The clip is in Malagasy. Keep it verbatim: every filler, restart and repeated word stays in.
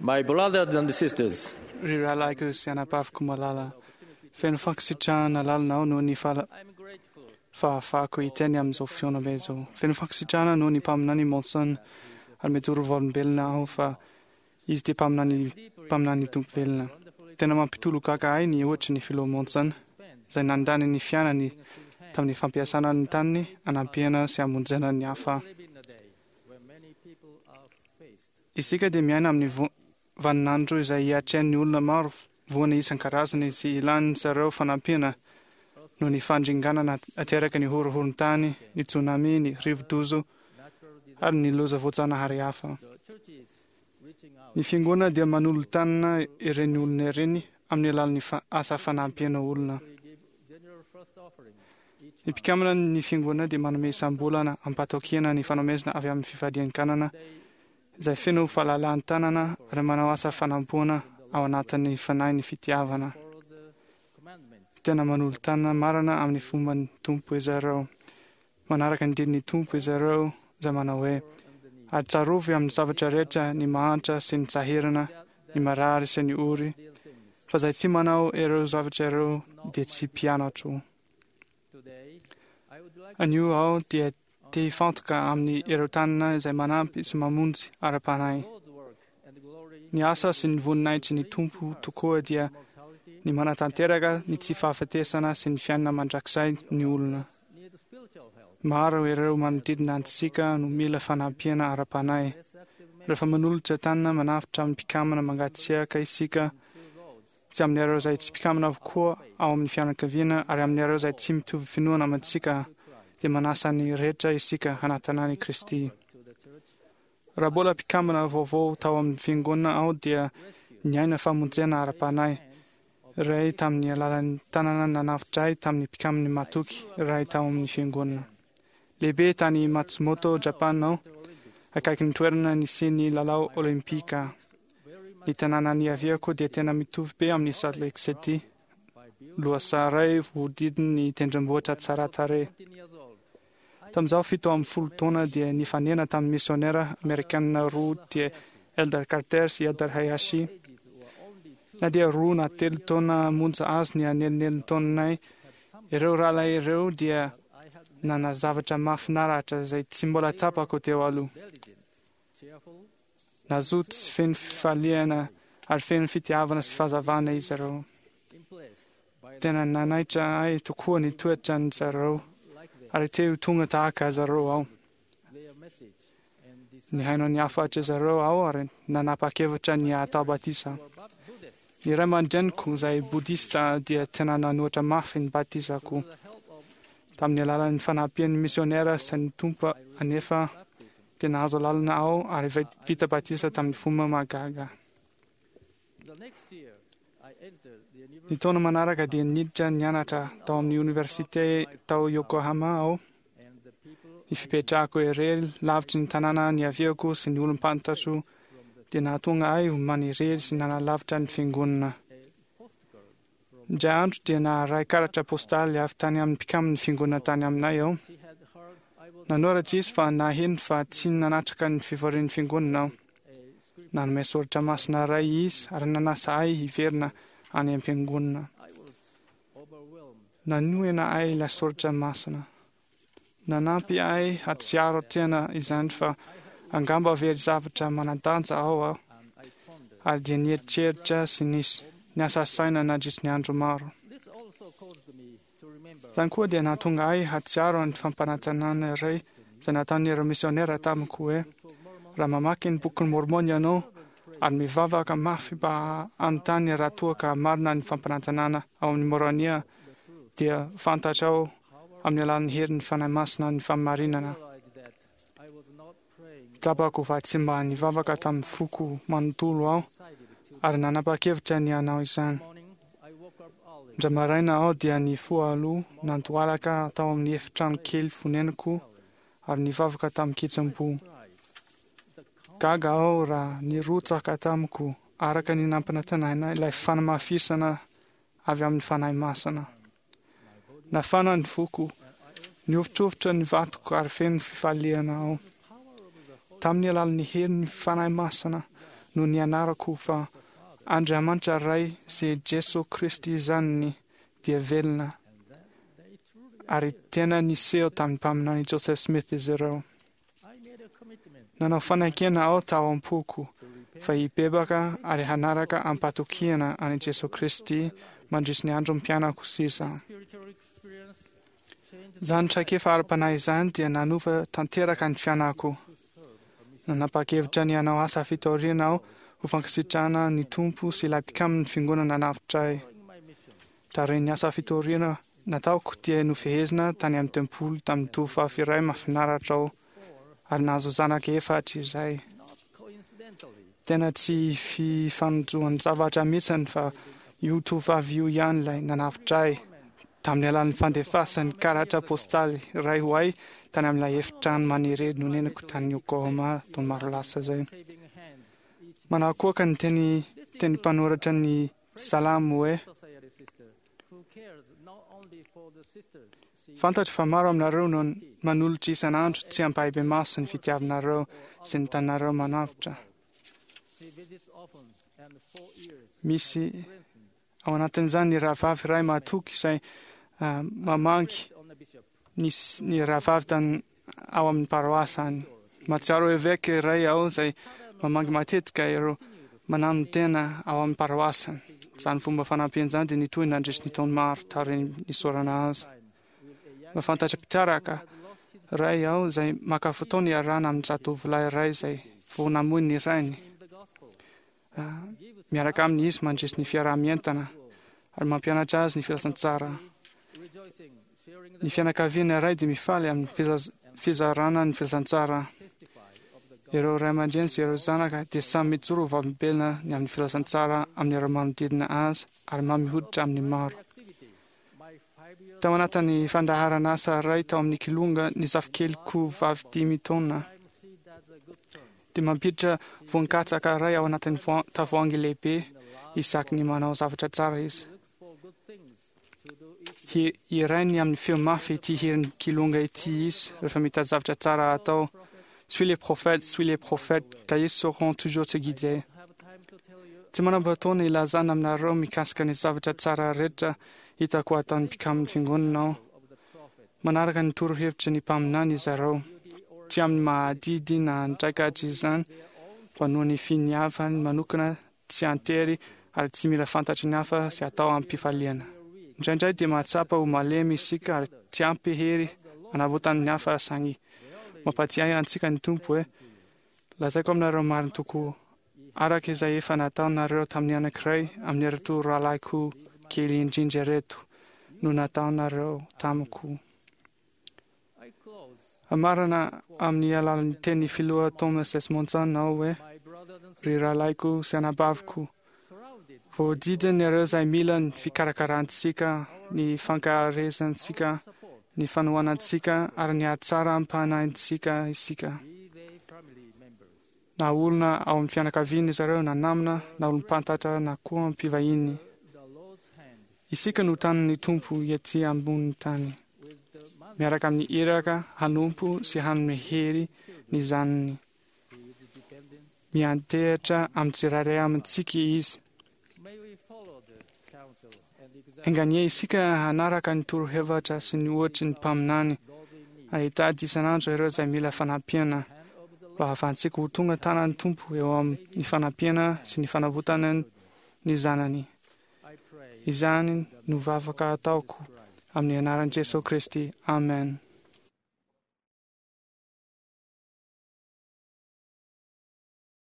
My brothers and sisters, Ry rahalahiko sy anabaviko malala, feno fankasitrahana lalina aho noho ny fala- fahafahako hiteny amin'izao fihaonambe izao. Feno fankasitrahana noho ny mpaminany Monson ary mijoro vavolombelona aho fa izy dia mpaminany mpaminany Tompo velona. Tena mampitolagaga ahy ny ohatry ny filoha Monson izay nandany ny fiainany tamin'ny fampiasana ny taniny hanampiana sy hamonjena ny hafa. Isika dia miaina amin'ny vo- vaninandro izay hiatrehan'ny olona maro voana isan-karazany sy ilan'ny zareo fanampiana noho ny fandringanana ateraka ny horohoron-tany, ny tsunami, ny rivo-doza ary ny loza voajanahary hafa. Ny fiangonana dia manolo-tanana ireny olona ireny amin'ny alalan'ny fa- asa fanampiana olona. Ny mpikambana ny fiangonana dia manome isam-bolana ampatokiana ny fanomezana avy amin'ny fifadian-kanana izay feno fahalalahan-tanana ary manao asa fanampoana ao anatin'ny fanahy ny fitiavana. Tena manolo-tanana marina amin'ny fomban'ny Tompo izy ireo. Manaraka ny didin'ny Tompo izy ireo izay manao hoe: ary tsarovy amin'ny zavatra rehetra ny mahantra sy ny sahirana, ny marary sy ny ory, fa izay tsy manao ireo zavatra ireo dia tsy mpianatro. Anio aho dia te hifantoka amin'ny ireo tanana izay manampy sy mamonjy ara-panahy. Ny asa sy ny voninahitry ny Tompo tokoa dia ny manatanteraka ny tsy fahafatesana sy ny fiainana mandrakizay ny olona. Maro ireo manodidina antsika no mila fanampiana ara-panahy. Rehefa manolotra tanana manavotra amin'ny mpikambana mangatsiaka isika, sy amin'ireo izay tsy mpikambana avokoa ao amin'ny fianakaviana ary amin'ireo izay tsy mitovy finoana amintsika, dia manasa ny rehetra isika hanatona an'i Kristy. Raha mbola mpikambana vaovao tao amin'ny fiangonana aho dia niaina famonjena ara-panahy iray tamin'ny alalan'ny tanana nanavotra ahy tamin'ny mpikambana matoky iray tao amin'ny fiangonana. Lehibe tany Matsumoto, Japan aho, akaikin'ny toerana nisian'ny lalao Olimpika. Ny tanàna niaviako dia tena mitovy be amin'ny Salt Lake City, lohasaha iray voahodidin'ny tendrombohitra tsara tarehy. Tamin'izaho fito amby folo taona dia nifanena tamin'ny misionera amerikanina roa dia Elder Carter sy Elder Hayashi. Na dia roa na telo taona monja azy ny anelanelan-taonanay, ireo rahalahy ireo dia nanana zavatra mahafinaritra izay tsy mbola tsapako teo aloha. Nazoto sy feno fifaliana ary feno fitiavana sy fahazavana izy ireo. Tena nanaitra ahy tokoa ny toetran'ny zareo ary te ho tonga tahaka azy ireo aho. Nihaino ny hafatry zareo aho ary nanapa-kevitra ny hatao batisa. Ny ray aman-dreniko izay bodista dia tena nanohitra mafy ny batisako. Tamin'ny alalan'ny fanampian'ny misionera sy ny Tompo anefa dia nahazo alalana aho ary vita batisa tamin'ny fomba mahagaga. Ny taona manaraka dia niditra nianatra tao amin'ny oniversite tao Yokohama aho. Ny fipetrahako irery lavitry ny tanàna niaviako sy ny olom-pantatro dia nahatonga ahy ho manirery sy nanalavitra ny fiangonana. Indray andro dia naharay karatra postaly avy tany amin'ny mpikamban'ny fiangonana tany aminay aho. Nanoratra izy fa naheno fa tsy nanatrika ny fivorian'ny fiangonana aho. Nanome soratra masina iray izy ary nanasa ahy hiverina any am-piangonana. Nanohina ahy ilay soratra masina. Nanampy ahy hahatsiaro tena izany fa angamba very zavatra manan-danja ao aho, ary dia nieritreritra sy nisy niasa saina nandritry ny andro maro. Izany koa dia nahatonga ahy hahatsiaro ny fampanantenana iray izay nataon'ireo misionera tamiko hoe: raha mamaky ny bokin'i Mormon ianao ary mivavaka mafy mba hanontany raha toa ka marina ny fampanantenana ao amin'ny Môrônia, dia fantatrao amin'ny alalan'ny herin'ny Fanahy Masina ny fahamarinana. Tsapako fa tsy mba nivavaka tamin'ny foko manontolo aho ary nanapa-kevitra ny hanao izany. Indray maraina aho dia nifoha aloha nandohalika tao amin'ny efitrano kely fonenako ary nivavaka tamin-kitsim-po. Gaga aho raha nirotsaka tamiko araka ny nampanantenaina ilay fanamafisana avy amin'ny Fanahy Masina. Nafana ny foko, nihovitrovitra ny vatako ary feno fifaliana aho. Tamin'ny alalan'ny herin'ny Fanahy Masina no nianarako fa Andriamanitra Ray sy Jesoa Kristy Zanany dia velona ary tena niseho tamin'ny mpaminany Joseph Smith izy ireo. Nanao fanekena aho tao am-poko fa hibebaka ary hanaraka am-patokiana an'i Jesoa Kristy mandritry ny androm-piainako sisa. Izany traikefa ara-panahy izany dia nanova tanteraka ny fiainako. Nanapa-kevitra ny hanao asa fitoriana aho ho fankasitrahana ny Tompo sy ilay mpikamin'ny fiangonana nanavotra ahy. Taorian'ny asa fitoriana nataoko dia nofehezina tany amin'ny tempoly tamin'ny tovovavy iray mahafinaritra aho ary nahazo zanaka efatra izay. Tena tsy fifanojoan-javatra mihitsy fa io tovovavy io ihany ilay nanavotra ahy tamin'ny alalan'ny fandefasany karatra postaly iray ho ahy tany amin'ilay efitrano manirery nonenako tany Yokohama taona maro lasa izay. Manakoaka ny teny teny mpanoratra ny Salamo hoe: Fantatro fa maro aminareo no manolotra isan'andro tsy ampahibemaso ny fitiavanareo sy ny tanareo manavotra. Misy ao anatin'izany ny rahavavy iray mahatoky izay uh, mamangy ny, ny rahavavy tany ao amin'ny paroasy any. Mahatsiaro eveka iray aho izay mamangy matetika ireo mananotena ao amin'ny paroasiny. Izany fomba fanampiana izany dia nitohy nandritry ny taona maro taorian'ny nisaorana azy. Mahafantatra mpitaraka iray aho izay maka fotoana iarahana amin'ny zatovolahy iray izay vao namoy ny rainy. Miaraka aminy izy mandritry ny fiaraha-mientana ary mampianatra azy ny filazantsara. Ny fianakaviana iray dia mifaly amin'ny fizarana ny filazantsara. Ireo ray aman-dreny sy ireo zanaka dia samy mijoro ho vavolombelona ny amin'ny filazantsara amin'ireo manodidina azy ary mamy hoditra amin'ny maro. Tao anatin'ny fandaharan'asa iray tao amin'ny Kilonga ny zafikeliko vavy dimy taona dia mampiditra voan-katsaka iray ao anatin'ny tavoahangy lehibe isaky ny manao zavatra tsara izy. Hirainy amin'ny feo mafy ity hirin'ny Kilonga ity izy rehefa mitady zavatra tsara atao. Suis les prophètes, suis les prophètes, car ils sauront toujours te guider. Tsy manam-potoana ilazana aminareo mikasika ny zavatra tsara rehetra hitako ataon'ny mpikamin'ny fiangonana aho. Manaraka ny torohevitry ny mpaminany izy ireo. Tsy amin'ny mahadidy na andraikatra izany, fa noho ny finiavany manokana tsy antery ary tsy mila fantatry ny hafa sy atao amim-pifaliana. Indraindray dia mahatsapa ho malemy isika ary tsy ampy hery hanavotana ny hafa, saingy mampatsiahy antsika ny Tompo hoe: Lazaiko aminareo marina tokoa, araka izay efa nataonareo tamin'ny anankiray amin'ireto rahalahiko kely indrindra ireto no nataonareo tamiko. Amarana amin'ny alalan'ny teny filoha Thomas S. Monson aho hoe: Ry rahalahiko sy anabaviko, voahodidina ireo izay mila ny fikarakarantsika, ny fankaherezantsika, ny fanohanantsika ary ny hatsaram-panahintsika isika. Na olona ao amin'ny fianakaviana izy ireo, na namana, na olom-pantatra, na koa mpivahiny. Isika no tanin'ny Tompo ety ambonin'ny tany, miaraka amin'ny iraka hanompo sy hanome hery ny zanany. Miantehitra amin'ny tsirairay amintsika Izy. Enganie isika hanaraka ny torohevitra sy ny ohatry ny mpaminany ary hitady isan'andro ireo izay mila fanampiana mba hahafahantsika ho tonga tanan'ny Tompo eo amin'ny fanampiana sy ny fanavotana ny zanany. Izany no vavaka ataoko amin'ny anaran'i Jesoa Kristy. Amen.